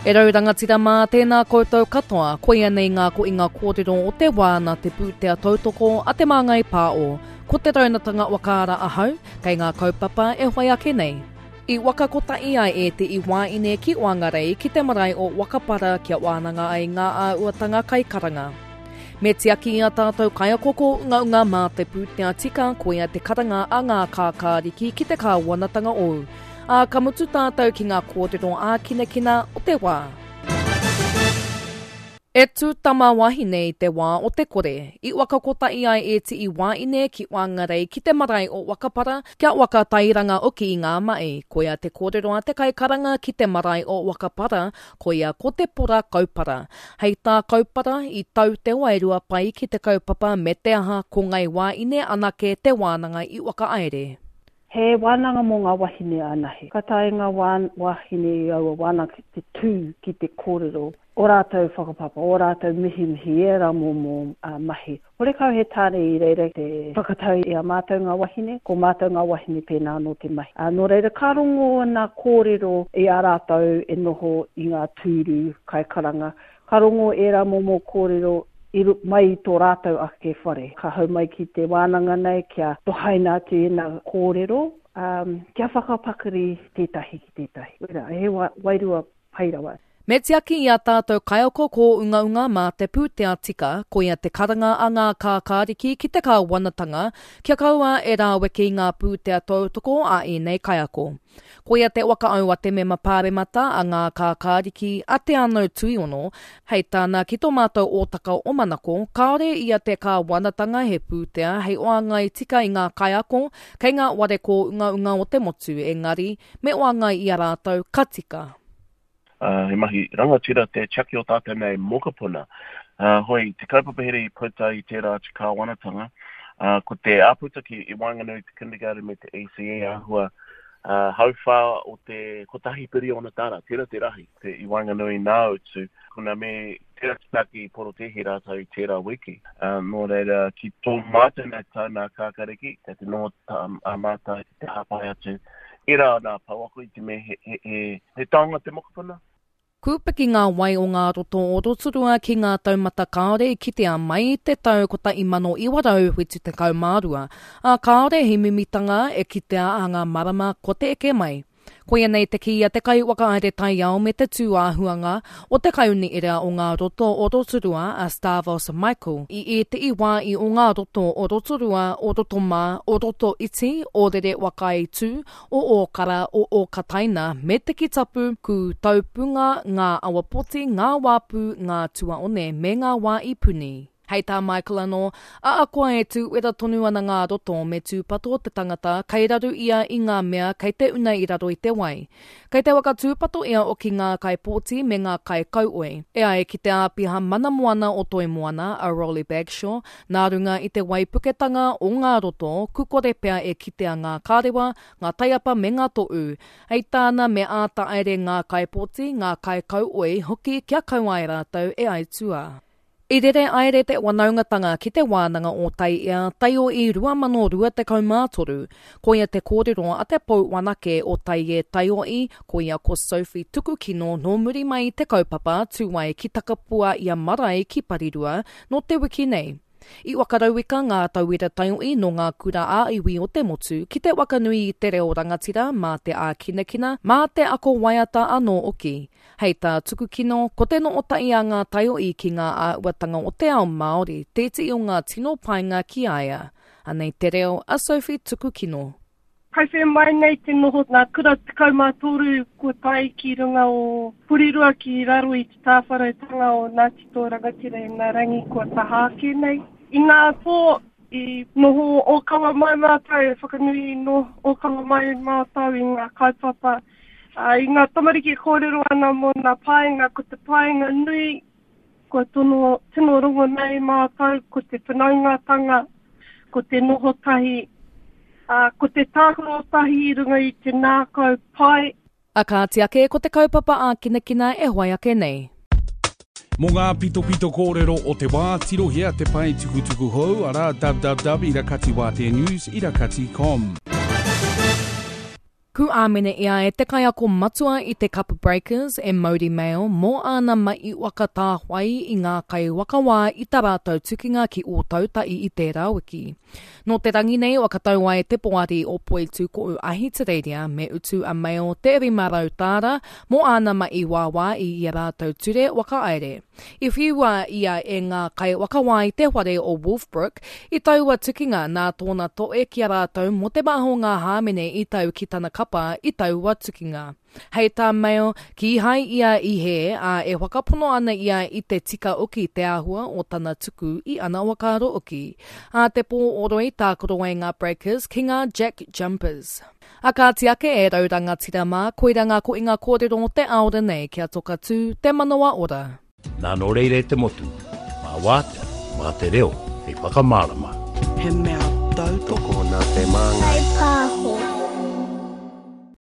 E rau rangatira mā, tēnā koutou katoa, koia nei ngā koinga kōrero o te wā nā te pūtea tautoko a Te Māngai Pāo. Ko Te Raunatanga Wakaara ahau, kei ngā kaupapa e whai ake nei. I waka kotahi ai ētehi wāine ki Whangarei ki te marae o Wakapara kia wānanga ai ngā āhuatanga kaikaranga. Me tiaki i a tātou kaiako kōungaunga mā te pūtea tika koia te karanga a ngā kākāriki ki te kāwanatanga ou. Ā, ka mutu tātou ki ngā kōrero ākinakina o te wā. E tū tama wahine i te wā o te kore, i waka kotahi ai ētehi wāine ki Whangarei ki te marae o Wakapara kia waka tairanga oki i ngā mahi. Koia te kōrero a te kaikaranga ki te marae o Wakapara, koia ko Te Pora Kaupara. Hei tā Kaupara, i tau te wairua pai ki te kaupapa me te aha ko Ngai Wāine anake te wānanga i whakahaere. He wānanga mō ngā wahine anahe. Ka taea ngā wāhine i aua wānanga ki te tū ki te kōrero ō rātou whakapapa, ō rātou mihimihi, ērā momo mahi. Horekau he tāne i reira te whakatau i a mātou ngā wahine, ko mātou ngā wahine pēnā anō te mahi. Nō reira, ka rongo ngā kōrero i a rātou e noho i ngā tūru kaikaranga, ka rongo ērā momo kōrero i mai i tō rātou ake whare. Ka hau mai ki te wānanga nei kia tohaina atu ēnā kōrero, kia whakapakari tētahi ki tētahi. Wera, he wairua pai rawa. Me tiaki i ā tātou kaiako kōungaunga mā te pūtea tika, koia te karanga a ngā kākāriki ki te kāwanatanga kia kaua e rāweke i ngā pūtea tautoko a ēnei kaiako. Koia te whakaau a te mema pāremata a ngā kākāriki a Te Anau Tuiono, hei tāna ki tō mātou ōtaka o Manako, kāore i a te kāwanatanga he pūtea hei oangai tika i ngā kaiako kei ngā ware kōungaunga o te motu engari me oangai i a rātou ka tika. He mahi rangatira te tiaki o tātou nei mokopuna. Hoi, te kaupapa here i puta i tērā atu kāwanatanga, ko te āputa ki i waenganui i te kindergarten me te ECE āhua hauwhā o te kotahi piriona tāra, tērā te rahi, te i waenganui nā utu, kona me tērā te taki i porotēhi rātou i tērā wiki. Nō reira, ki tō mātou nei tau nā Kākariki, kei te noho a mātou ki te hāpai atu Ērā nā pouako i te mea he, he, he, he taonga te mokopuna. Kūpiki ngā wai o ngā roto o Rotorua ki ngā taumata kāore i kitea mai i te tau 1972, ā, kāore he mimitanga e kitea a ngā marama kua te eke mai. Koia nei te kī a te kaiwhakahaere taiao me te tūāhuanga o te Kaiuniera o ngā Roto o Rotorua a Stavos Michael i ētehi wā i o ngā roto o Rotorua, o Rotomā, o Rotoiti, o Rerewakaitu, o Ōkara, o Ōkataina me Te Kitapu, Kū Taupunga, Ngā Awapoti, Ngā Wāpū, Ngā Tuaone me Ngā Wā i Puni. Hei tā Michael anō, Ahakoa e tūwera tonu ana ngā roto, me tūpato te tangata, kei raru ia i ngā mea kei te una i raro i te wai. Kei te waka tūpato ia oki ngā kaipōti me ngā kaikauoi. E ai ki te āpiha mana moana o Toi Moana, a Rolly Bagshaw, nā runga i te waipuketanga o ngā roto, kukore pea e kitea ngā kārewa, ngā taiapa me ngā toʻu. Hei tāna me āta aere ngā kaipōti, ngā kaikauoi hoki kia kaua ai rātou e aituā. I rere aere te wanaungatanga ki Te Wānanga o Taiea, Taioī 2023. Koia te kōrero a te pou wanake o Taiē Taioī, koia ko Sophie Tukukino nō muri mai i te kaupapa tū ai ki Takapua i a Marae ki Parirua nō te wiki nei. I whakarauika ngā tauira taioī nō ngā kura ā-iwi o te motu ki te whakanui i te reo rangatira mā te ākinakina, mā te ako waiata anō hoki. Hei tā Tukukino, ko te nootahi a ngā taiohi ki ngā āhuatanga o te ao Māori tētehi o ngā tino painga ki a ia. Anei te reo a Sophie Tukukino. Kai whē mai nei te noho ngā kura 13 kua tae ki runga o Porirua ki raro i te tāwharautanga o Ngāti Toa Rangatira i ngā rangi kua taha ake nei. I ngā pō i noho ōkawa mai mātou, e whakanui noho ōkawa mai mātou i ngā kaupapa Ā, i ngā tamariki e kōrero ana mō ngā painga, ko te painga nui kua tono, tino rongo nei mātou, ko te whanaungatanga, ko te noho tahi, ā, ko te tākaro tahi i runga i te ngākau pai. A kāti ake ko te kaupapa ākinakina e whai ake nei. Mō ngā pitopito kōrero o te wā, tirohia te pae tukutuku hou, arā, www.irakatiwāteanews irakati com. Ku āmene ia e te kaiako matua i te Kapa Breakers e Mauri Mail mō āna mahi waka tāwhai i ngā kaiwhakawā i tā rātou tukinga ki Ōtautahi i tērā wiki. Nō te rangi nei whakatau ai te poari o Poitūkohu Ahitereiria me utu a Mail te 500 tāra mō āna mahi wāwā i ia rātou ture whakahaere. I whiua ia e ngā kaiwhakawā i te whare o Wolfbrook i taua tukinga nā tōna toe ki a rātou mō te maha o ngā hāmene i tau ki tana kapa i taua tukinga. Hei tā Mail, kīhai ia i hē, ā, e whakapono ana ia i te tika oki te āhua o tana tuku i ana whakaaro oki. Ā te pō o Roi tākaro ai ngā Breakers ki ngā Jack Jumpers. A kāti ake e rau rangatira mā, koira ngā koinga kōrero o te aora nei kia toka tū te manawa ora. Nā nō reira e te motu, mā wātea, mā te reo hei whakamārama. He mea tautoko. Tokona te māngai. Whaipāho.